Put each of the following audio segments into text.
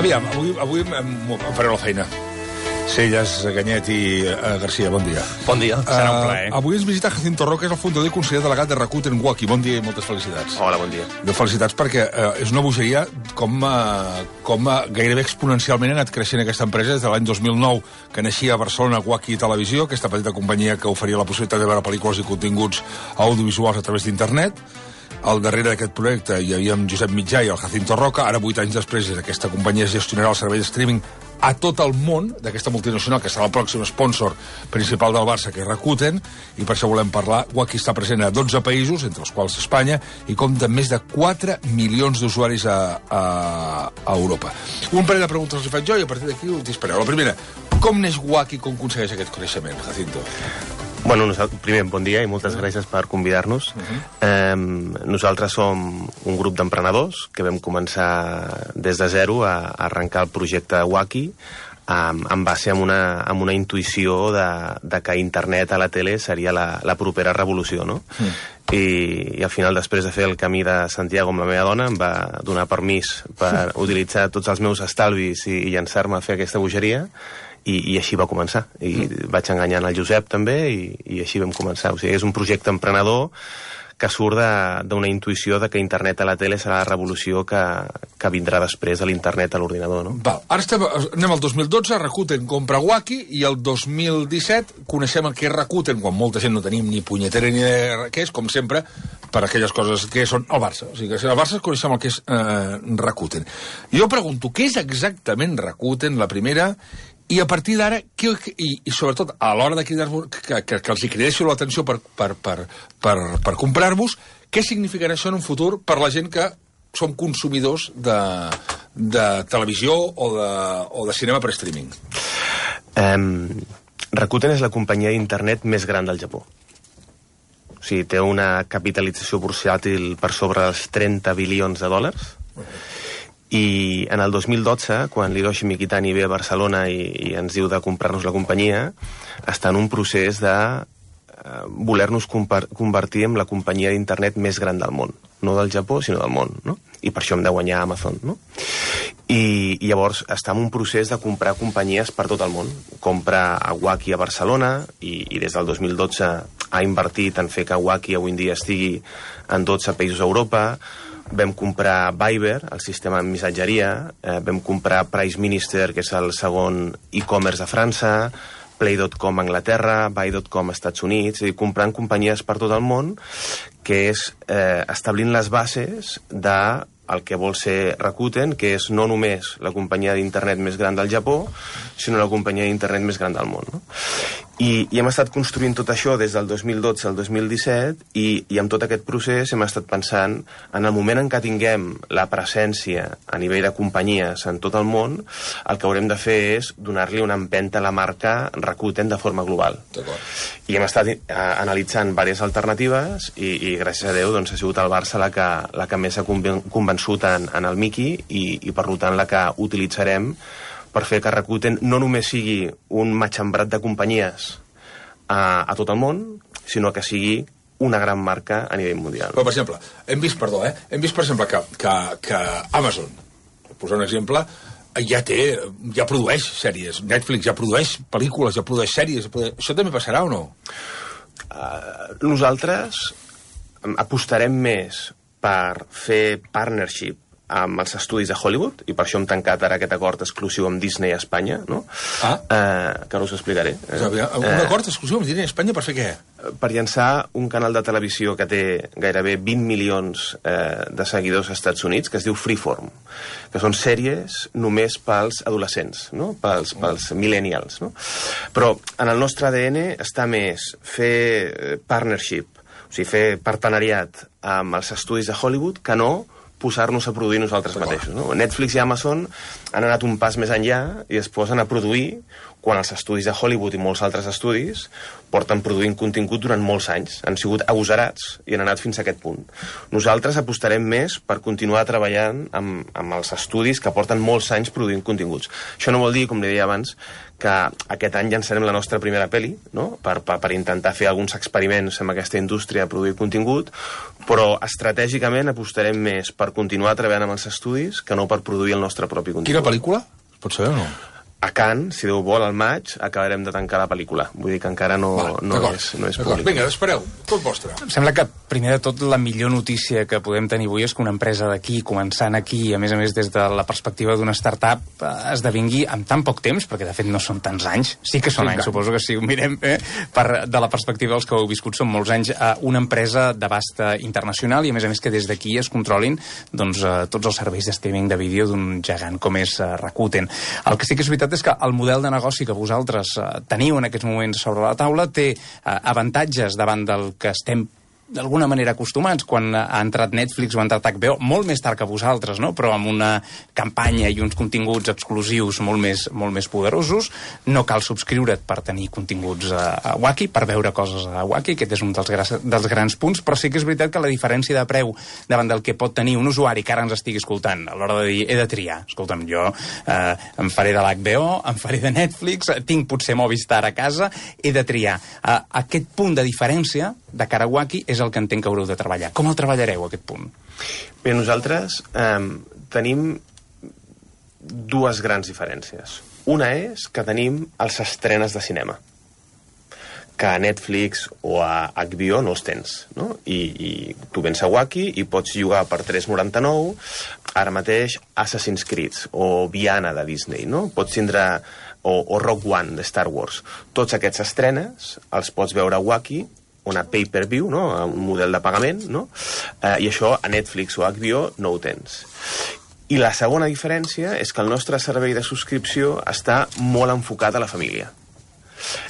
Aviam, avui em faré la feina. Celles, Ganyet i Garcia, bon dia. Bon dia, serà un plaer. Avui ens visita Jacinto Roca, és el fundador i conseller delegat de Rakuten Waki. Bon dia i moltes felicitats. Hola, bon dia. Felicitats perquè és una bogeria com gairebé exponencialment ha anat creixent aquesta empresa des de l'any 2009, que naixia a Barcelona Waki Televisió, aquesta petita companyia que oferia la possibilitat de veure pel·lícules i continguts audiovisuals a través d'internet. Al darrere d'aquest projecte hi havia Josep Mitjà i el Jacinto Roca. Ara, 8 anys després, aquesta companyia gestionarà el servei de streaming a tot el món d'aquesta multinacional, que serà el pròxim sponsor principal del Barça, que és Rakuten, i per això volem parlar. Waki està present a 12 països, entre els quals Espanya, i compta amb més de 4 milions d'usuaris a Europa. Un parell de preguntes els faig jo i a partir d'aquí us dispareu. La primera, com neix Waki, com aconsegueix aquest coneixement, Jacinto? Bueno, primer, bon dia i moltes gràcies per convidar-nos. Nosaltres som un grup d'emprenedors que vam començar des de zero a arrencar el projecte Waki en base a una intuïció de que internet a la tele seria la propera revolució, no? I al final, després de fer el camí de Santiago amb la meva dona, em va donar permís per utilitzar tots els meus estalvis i llançar-me a fer aquesta bogeria. I així va començar. I vaig enganyant el Josep també i així vam començar. O sigui, és un projecte emprenedor que surt d'una intuïció de que internet a la tele serà la revolució que vindrà després de l'internet a l'ordinador, no? Val. Ara anem al 2012, Rakuten compra Waki, i el 2017 coneixem el que és Rakuten, quan molta gent no tenim ni punyetera ni idea què és, com sempre, per aquelles coses que són el Barça. O sigui, que al Barça coneixem el que és Rakuten. Jo pregunto, què és exactament Rakuten, la primera, i a partir d'ara, i sobretot a l'hora de cridar-vos, que els hi cridéssiu l'atenció per comprar-vos, què significarà això en un futur per la gent que som consumidors de televisió o de cinema per streaming? Rakuten és la companyia d'internet més gran del Japó. O sigui, té una capitalització bursàtil per sobre els 30 bilions de dòlars. I en el 2012, quan l'Hiroshi Mikitani ve a Barcelona i ens diu de comprar-nos la companyia, està en un procés de voler-nos convertir en la companyia d'internet més gran del món. No del Japó, sinó del món, no? I per això hem de guanyar Amazon, no? I llavors està en un procés de comprar companyies per tot el món. Compra a Waki a Barcelona i des del 2012 ha invertit en fer que Waki avui en dia estigui en 12 països a Europa. Vam comprar Viber, el sistema de missatgeria, vam comprar Price Minister, que és el segon e-commerce de França, Play.com a Anglaterra, Buy.com a Estats Units, és a dir, comprant companyies per tot el món, que és establint les bases de el que vol ser Rakuten, que és no només la companyia d'internet més gran del Japó, sinó la companyia d'internet més gran del món, no? I hem estat construint tot això des del 2012 al 2017 i amb tot aquest procés hem estat pensant en el moment en què tinguem la presència a nivell de companyies en tot el món, el que haurem de fer és donar-li una empenta a la marca Rakuten de forma global. I hem estat analitzant diverses alternatives i gràcies a Déu doncs, ha sigut el Barça la que més s'ha convençut en el Miki i per tant la que utilitzarem per fer que Rakuten no només sigui un matxembrat de companyies a tot el món, sinó que sigui una gran marca a nivell mundial. Però, per exemple, hem vist per exemple, que Amazon, per posar un exemple, ja produeix sèries. Netflix ja produeix pel·lícules, ja produeix sèries. Això també passarà o no? Nosaltres apostarem més per fer partnership amb els estudis de Hollywood, i per això hem tancat ara aquest acord exclusiu amb Disney a Espanya, no? Que ara us explicaré. Un acord exclusiu amb Disney a Espanya per fer què? Per llançar un canal de televisió que té gairebé 20 milions de seguidors als Estats Units, que es diu Freeform, que són sèries només pels adolescents, no? Pels millennials, no? Però en el nostre ADN està més fer partnership, o sigui, fer partenariat amb els estudis de Hollywood, que no posar-nos a produir nosaltres mateixos, no? Netflix i Amazon han anat un pas més enllà i es posen a produir quan els estudis de Hollywood i molts altres estudis porten produint contingut durant molts anys. Han sigut agosarats i han anat fins a aquest punt. Nosaltres apostarem més per continuar treballant amb els estudis que porten molts anys produint continguts. Això no vol dir, com li deia abans, que aquest any llançarem la nostra primera pel·li, no? per intentar fer alguns experiments amb aquesta indústria de produir contingut, però estratègicament apostarem més per continuar treballant amb els estudis que no per produir el nostre propi contingut. Quina pel·lícula? Es pot saber o no? A Cannes, si Déu vol, al maig, acabarem de tancar la pel·lícula. Vull dir que encara no és públic. Vinga, espereu, tot vostre. Em sembla que, primer de tot, la millor notícia que podem tenir avui és que una empresa d'aquí, començant aquí, a més des de la perspectiva d'una startup, esdevingui en tan poc temps, perquè de fet no són tants anys, sí que són anys, suposo que si ho mirem de la perspectiva dels que ho heu viscut, són molts anys, una empresa d'abast internacional i a més que des d'aquí es controlin doncs, tots els serveis de streaming de vídeo d'un gegant com és Rakuten. El que sí que és veritat és que el model de negoci que vosaltres teniu en aquests moments sobre la taula té avantatges davant del que estem d'alguna manera acostumats quan ha entrat Netflix o ha entrat HBO, molt més tard que vosaltres, no? Però amb una campanya i uns continguts exclusius molt més poderosos. No cal subscriure't per tenir continguts a Wacky, per veure coses a Wacky, aquest és un dels grans punts, però sí que és veritat que la diferència de preu davant del que pot tenir un usuari que ara ens estigui escoltant, a l'hora de dir, he de triar, escolta'm, jo em faré de l'HBO, em faré de Netflix, tinc potser Movistar a casa, he de triar. Aquest punt de diferència de cara a Wacky és el que entenc que haureu de treballar. Com el treballareu, aquest punt? Bé, nosaltres tenim dues grans diferències. Una és que tenim els estrenes de cinema, que a Netflix o a HBO no els tens, no? I tu vens a Wacky i pots llogar per $3,99 ara mateix Assassin's Creed o Viana de Disney, no? Pots tindre o Rogue One de Star Wars. Tots aquests estrenes els pots veure a Wacky, una pay-per-view, no? Un model de pagament, no? I això a Netflix o a HBO no ho tens. I la segona diferència és que el nostre servei de subscripció està molt enfocat a la família.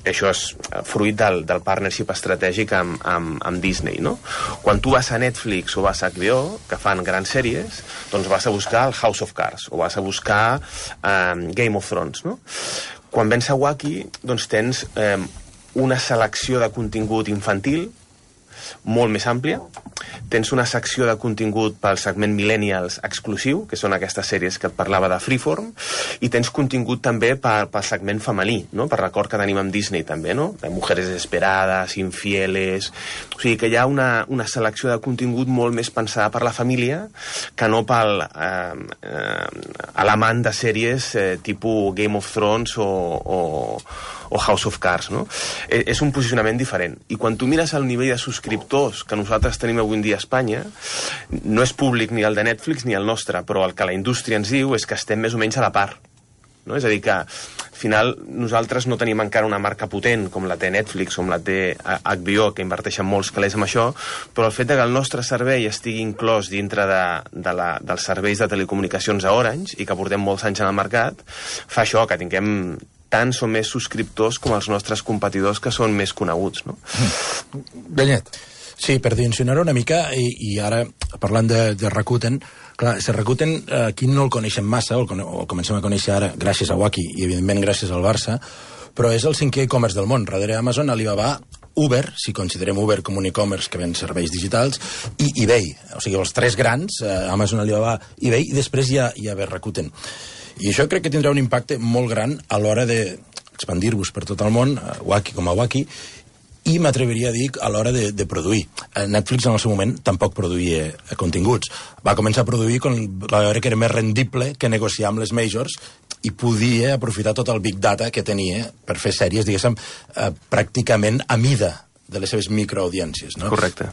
Això és fruit del partnership estratègic amb Disney, no? Quan tu vas a Netflix o vas a HBO, que fan grans sèries, doncs vas a buscar el House of Cards o vas a buscar Game of Thrones, no? Quan vens a Wacky, doncs tens una selecció de contingut infantil molt més àmplia. Tens una secció de contingut pel segment millennials exclusiu, que són aquestes sèries que et parlava de Freeform, i tens contingut també pel segment femení, no? Per record que tenim amb Disney també, no? De Mujeres Desesperadas, Infieles... O sigui que hi ha una selecció de contingut molt més pensada per la família que no pel l'amant de sèries tipus Game of Thrones o House of Cards, no? És un posicionament diferent. I quan tu mires el nivell de subscriptors que nosaltres tenim avui en dia a Espanya, no és públic ni el de Netflix ni el nostre, però el que la indústria ens diu és que estem més o menys a la part. No? És a dir, que al final nosaltres no tenim encara una marca potent com la té Netflix o com la té HBO, que inverteixen molts calés en això, però el fet que el nostre servei estigui inclòs dintre dels serveis de telecomunicacions a Orange i que portem molts anys en el mercat, fa això, que tinguem tants o més subscriptors com els nostres competidors que són més coneguts, no? Benet. Sí, per dimensionar-ho una mica, i ara parlant de Rakuten, clar, Rakuten aquí no el coneixem massa, o comencem a conèixer ara gràcies a Wacky i evidentment gràcies al Barça, però és el 5è e-commerce del món, darrere Amazon, Alibaba, Uber, si considerem Uber com un e-commerce que ven serveis digitals, i eBay, o sigui, els 3 grans, Amazon, Alibaba, eBay, i després hi ha Rakuten. I això crec que tindrà un impacte molt gran a l'hora d'expandir-vos per tot el món, Wacky com a Wacky, i m'atreviria a dir a l'hora de produir. Netflix en el seu moment tampoc produïa continguts. Va començar a produir quan va veure que era més rendible que negociar amb les majors i podia aprofitar tot el big data que tenia per fer sèries, diguéssim, pràcticament a mida de les seves microaudiències, no? Correcte.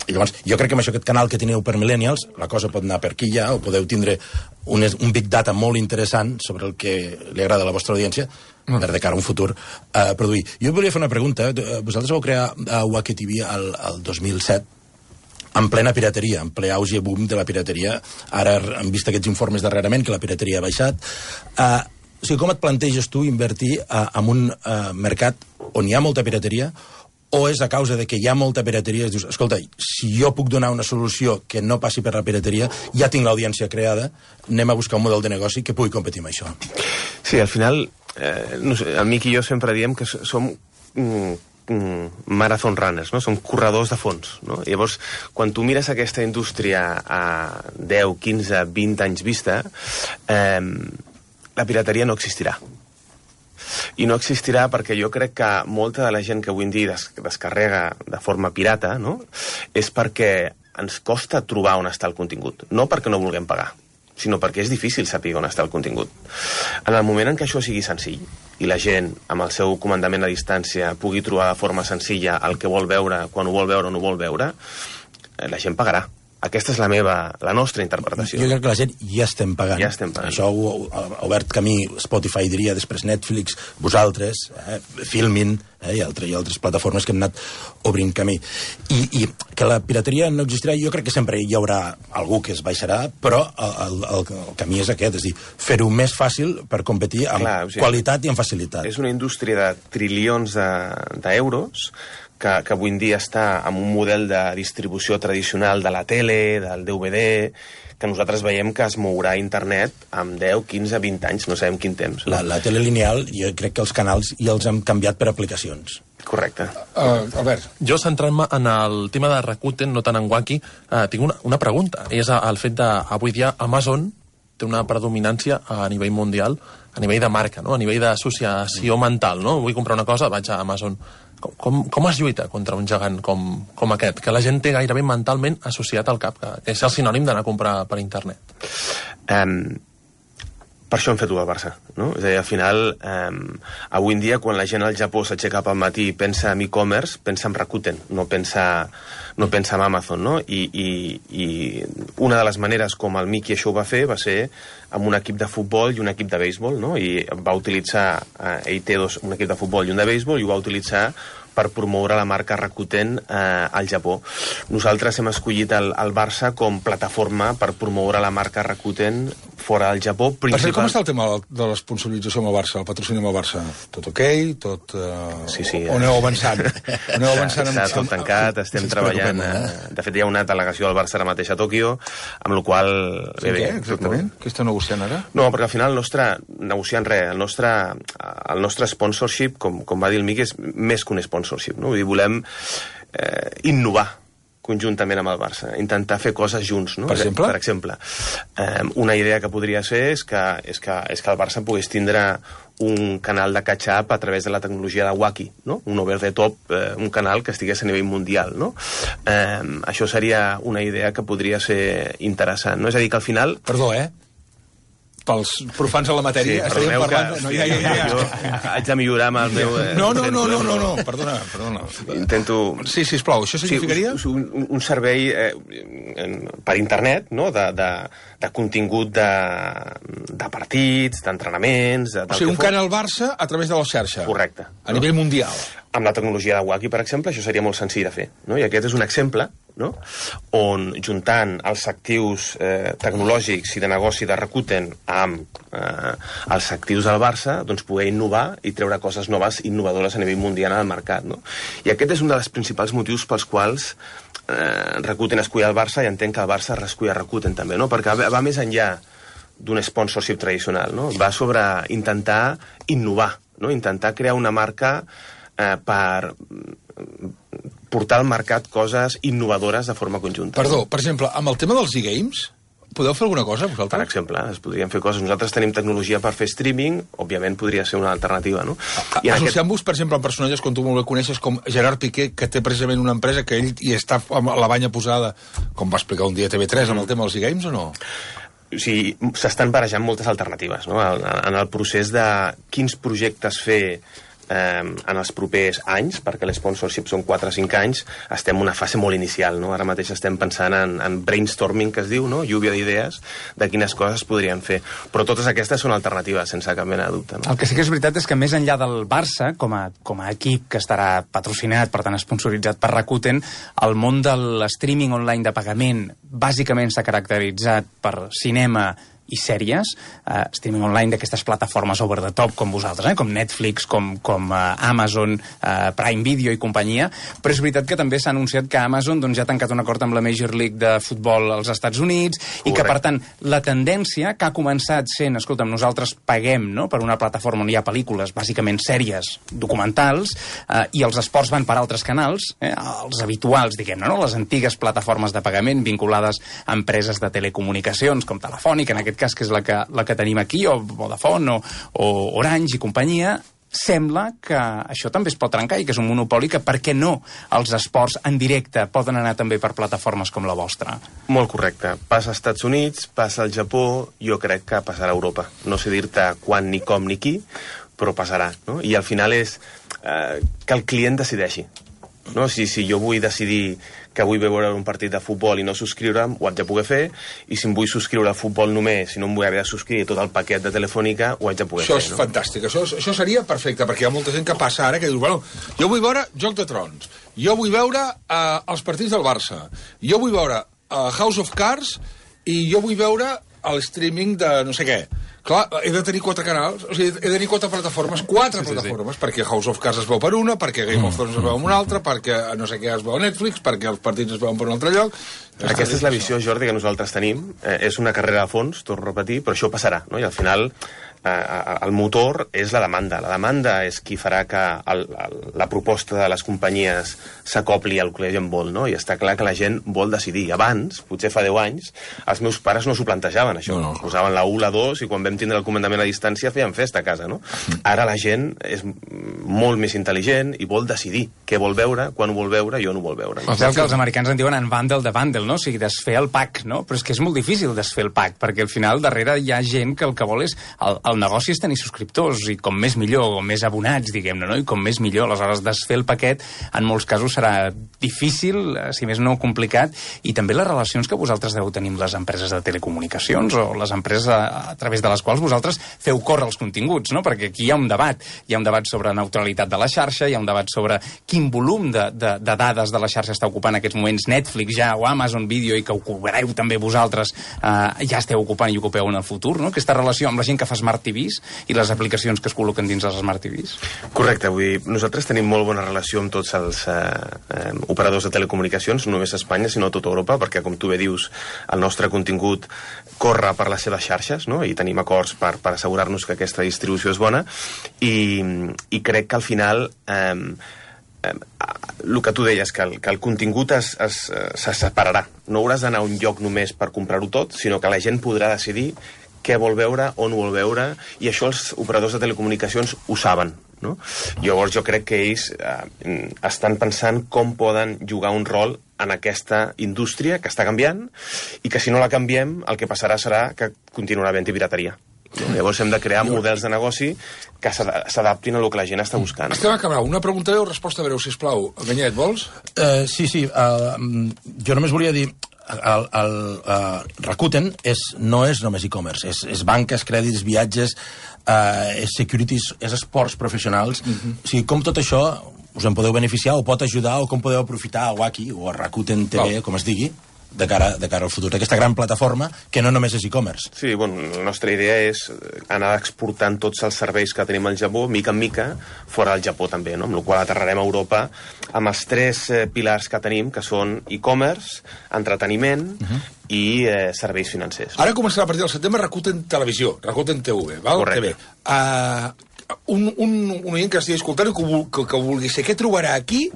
I llavors, jo crec que amb això, aquest canal que teniu per Millennials, la cosa pot anar per aquí ja, o podeu tindre un big data molt interessant sobre el que li agrada a la vostra audiència, per de cara a un futur produir. Jo volia fer una pregunta. Vosaltres vau crear Wacky TV el 2007, en plena pirateria, en ple auge boom de la pirateria. Ara hem vist aquests informes darrerament que la pirateria ha baixat. O sigui, com et planteges tu invertir en un mercat on hi ha molta pirateria, o és a causa de que hi ha molta pirateria i dius, escolta, si jo puc donar una solució que no passi per la pirateria, ja tinc l'audiència creada, anem a buscar un model de negoci que pugui competir amb això? Sí, al final no sé, el Miqui i jo sempre diem que som marathon runners, no? Som corredors de fons, no? Llavors, quan tu mires aquesta indústria a 10, 15, 20 anys vista, la pirateria no existirà. I no existirà perquè jo crec que molta de la gent que avui en dia descarrega de forma pirata, no? És perquè ens costa trobar on està el contingut, no perquè no vulguem pagar, sinó perquè és difícil saber on està el contingut. En el moment en què això sigui senzill i la gent, amb el seu comandament a distància, pugui trobar de forma senzilla el que vol veure, quan ho vol veure o no ho vol veure, la gent pagarà. Aquesta és la nostra interpretació. Jo crec que la gent ja estem pagant. Ja estem pagant. Això ha obert camí, Spotify diria, després Netflix, vosaltres, Filmin, i altres plataformes que hem anat obrint camí. I que la pirateria no existirà, jo crec que sempre hi haurà algú que es baixarà, però el camí és aquest, és dir, fer-ho més fàcil per competir amb qualitat i amb facilitat. És una indústria de trilions d'euros que avui en dia està en un model de distribució tradicional de la tele, del DVD, que nosaltres veiem que es mourà a internet amb 10, 15, 20 anys, no sabem quin temps. No? La tele lineal, jo crec que els canals ja els hem canviat per aplicacions. Correcte. Albert. Jo, centrant-me en el tema de Rakuten, no tant en Wacky, tinc una pregunta. És el fet d'avui dia Amazon té una predominància a nivell mundial, a nivell de marca, no? A nivell d'associació mental, no? Vull comprar una cosa, vaig a Amazon. Com es lluita contra un gegant com aquest, que la gent té gairebé mentalment associat al cap, que és el sinònim d'anar a comprar per internet? Per això hem fet-ho al Barça, no? És a dir, al final, avui en dia, quan la gent al Japó s'aixeca pel matí i pensa en e-commerce, pensa en Rakuten, no pensa en Amazon, no? I una de les maneres com el Miqui això ho va fer va ser amb un equip de futbol i un equip de béisbol, no? I va utilitzar, ell té un equip de futbol i un de béisbol, i ho va utilitzar per promoure la marca Rakuten al Japó. Nosaltres hem escollit el Barça com plataforma per promoure la marca Rakuten fora del Japó. Com està el tema de l'esponsorització amb el Barça, el patrocini amb el Barça? Tot ok? Tot... Sí. O aneu avançant? Està tot tancat, estem treballant. De fet, hi ha una delegació del Barça ara mateix a Tòquio, amb la qual... Sí, què, exactament? Què està negociant ara? No, perquè al final negociant res, el nostre sponsorship, com va dir el Miqui, és més que un sponsorship, no? Vull dir, volem innovar conjuntament amb el Barça, intentar fer coses junts, no? Per exemple? Per exemple, una idea que podria ser és que el Barça pogués tindre un canal de catch-up a través de la tecnologia de Wacky, no? Un over the top, un canal que estigués a nivell mundial, no? Això seria una idea que podria ser interessant, no? És a dir, que al final... Perdó, pels profans a la matèria, sí, estaríem parlant... Jo haig de millorar amb el meu... No, perdona. Intento... Sí, sisplau, això significaria? Un servei per internet, no?, de contingut de partits, d'entrenaments... O sigui, un canal Barça a través de la xarxa. Correcte. A nivell mundial. Amb la tecnologia de Wacky, per exemple, això seria molt senzill de fer, no? I aquest és un exemple, no?, on juntant els actius tecnològics i de negoci de Rakuten amb els actius del Barça, doncs poder innovar i treure coses noves, innovadores a nivell mundial al mercat, no? I aquest és un dels principals motius pels quals Rakuten escull el Barça, i entenc que el Barça escull a Rakuten també, no? Perquè va més enllà d'un sponsorship tradicional, no? Va sobre intentar innovar, no? Intentar crear una marca per portar al mercat coses innovadores de forma conjunta. Perdó, per exemple, amb el tema dels e-games, podeu fer alguna cosa, vosaltres? Per exemple, es podrien fer coses. Nosaltres tenim tecnologia per fer streaming, òbviament podria ser una alternativa, no? Associant-vos, per exemple, amb personatges com tu molt bé coneixes, com Gerard Piqué, que té precisament una empresa que ell hi està amb la banya posada, com va explicar un dia TV3 amb el tema dels e-games, o no? O sigui, s'estan barejant moltes alternatives, no? En el procés de quins projectes fer en els propers anys, perquè l'sponsorship són 4 o 5 anys, estem en una fase molt inicial, no? Ara mateix estem pensant en brainstorming, que es diu, no? Lluvia d'idees de quines coses podrien fer. Però totes aquestes són alternatives, sense cap mena de dubte, no? El que sí que és veritat és que més enllà del Barça, com a equip que estarà patrocinat, per tant sponsoritzat per Rakuten, el món de l'streaming online de pagament bàsicament s'ha caracteritzat per cinema i sèries, streaming online d'aquestes plataformes over the top com vosaltres, com Netflix, com Amazon, Prime Video i companyia, però és veritat que també s'ha anunciat que Amazon ja ha tancat un acord amb la Major League de futbol als Estats Units i que, per tant, la tendència que ha començat sent, escolta'm, nosaltres paguem per una plataforma on hi ha pel·lícules, bàsicament sèries, documentals, i els esports van per altres canals, els habituals, diguem-ne, les antigues plataformes de pagament vinculades a empreses de telecomunicacions, com Telefònica, en aquest cas, que és la que tenim aquí, o Vodafone, o Orange i companyia. Sembla que això també es pot trencar i que és un monopoli que, per què no, els esports en directe poden anar també per plataformes com la vostra? Molt correcte. Passa als Estats Units, passa al Japó, jo crec que passarà a Europa. No sé dir-te quan, ni com, ni qui, però passarà. No? I al final és que el client decideixi. No? Si jo vull decidir que vull veure un partit de futbol i no subscriure'm, ho haig de poder fer, i si em vull subscriure al futbol només, si no em vull haver de subscriure tot el paquet de Telefònica, ho haig de poder fer. Això és fantàstic, això seria perfecte, perquè hi ha molta gent que passa ara que diu, bueno, jo vull veure Joc de Trons, jo vull veure els partits del Barça, jo vull veure House of Cards i jo vull veure el streaming de no sé què. Clar, he de tenir 4 canals, o sigui, he de tenir 4 plataformes, plataformes, perquè House of Cards es veu per una, perquè Game of Thrones es veu en una altra, perquè no sé què es veu a Netflix, perquè els partits es veuen per un altre lloc. Aquesta és la visió, Jordi, que nosaltres tenim. És una carrera de fons, torno a repetir, però això passarà, no? I al final el motor és la demanda. La demanda és qui farà que la proposta de les companyies s'acopli al que la gent vol, no? I està clar que la gent vol decidir. Abans, potser fa 10 anys, els meus pares no s'ho plantejaven, això. No. Posaven la 1, la 2, i quan vam tindre el comandament a distància feien festa a casa, no? Ara la gent és molt més intel·ligent i vol decidir què vol veure, quan ho vol veure i on ho vol veure. No? Sabeu que els americans en diuen unbundle de bundle, no? O sigui, desfer el pack, no? Però és que és molt difícil desfer el pack, perquè al final darrere hi ha gent que el que vol és... El negoci és tenir subscriptors, i com més millor, o més abonats, diguem-ne, no? I com més millor. Aleshores, desfer el paquet en molts casos serà difícil, si més no complicat, i també les relacions que vosaltres deu tenir amb les empreses de telecomunicacions o les empreses a través de les quals vosaltres feu córrer els continguts, no? Perquè aquí hi ha un debat. Hi ha un debat sobre neutralitat de la xarxa, hi ha un debat sobre quin volum de dades de la xarxa està ocupant en aquests moments Netflix ja, o Amazon Video, i que ocupareu també vosaltres, ja esteu ocupant i ocupeu en el futur, no? Aquesta relació amb la gent que fa Smart TVs i les aplicacions que es col·loquen dins els Smart TVs. Correcte, vull dir, nosaltres tenim molt bona relació amb tots els operadors de telecomunicacions, no només a Espanya, sinó a tota Europa, perquè, com tu bé dius, el nostre contingut corre per les seves xarxes, no? I tenim acords per assegurar-nos que aquesta distribució és bona, i crec que al final el que tu deies, que el contingut se separarà. No hauràs d'anar a un lloc només per comprar-ho tot, sinó que la gent podrà decidir què vol veure, on vol veure, i això els operadors de telecomunicacions ho saben, no? Llavors jo crec que ells estan pensant com poden jugar un rol en aquesta indústria que està canviant, i que si no la canviem el que passarà serà que continuarà havent-hi pirateria. Llavors hem de crear models de negoci que s'adaptin a el que la gent està buscant. Estem acabant. Una pregunta breu, resposta breu, sisplau. Ganyet, vols? Sí. Jo només volia dir... Rakuten no és només e-commerce, és banques, crèdits, viatges, és securities, és esports professionals. O sigui, com tot això us en podeu beneficiar o pot ajudar, o com podeu aprofitar a Waki o a Rakuten TV, com es digui, de cara al futur, d'aquesta gran plataforma que no només és e-commerce. Sí, bueno, la nostra idea és anar exportant tots els serveis que tenim al Japó, mica en mica, fora del Japó també, no? Amb la qual aterrarem a Europa amb els 3 pilars que tenim, que són e-commerce, entreteniment i serveis financers. Ara començarà a partir del setembre Rakuten Televisió, Rakuten TV, val? Correcte. Un oient que estigui escoltant i que vulgui ser, què trobarà aquí?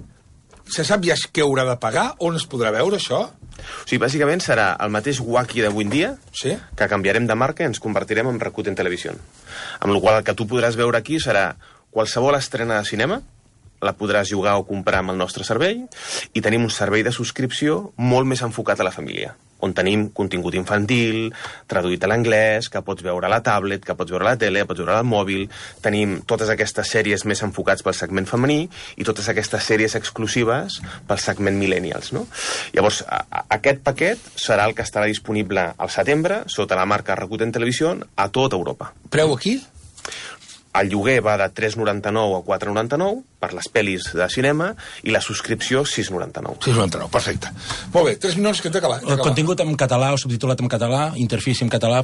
Se sap ja què haurà de pagar? On es podrà veure això? O sigui, bàsicament serà el mateix Waki d'avui en dia, sí? Que canviarem de marca i ens convertirem en Rakuten Televisió. Amb la qual el que tu podràs veure aquí serà qualsevol estrena de cinema, la podràs jugar o comprar amb el nostre servei, i tenim un servei de subscripció molt més enfocat a la família, on tenim contingut infantil, traduït a l'anglès, que pots veure a la tablet, que pots veure a la tele, que pots veure al mòbil. Tenim totes aquestes sèries més enfocats pel segment femení i totes aquestes sèries exclusives pel segment millennials, no? Llavors, aquest paquet serà el que estarà disponible al setembre sota la marca Rakuten Televisió a tota Europa. Preu aquí? El lloguer va de 3,99 a 4,99 per les pel·lis de cinema i la subscripció 6,99. 6,99, perfecte. Molt bé, 3 minuts que hem d'acabar. El contingut en català o subtitulat en català, interfície en català...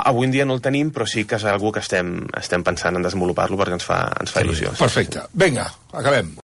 Avui en dia no el tenim, però sí que és algo que estem pensant en desenvolupar-lo perquè ens fa il·lusió. Perfecte. Vinga, acabem.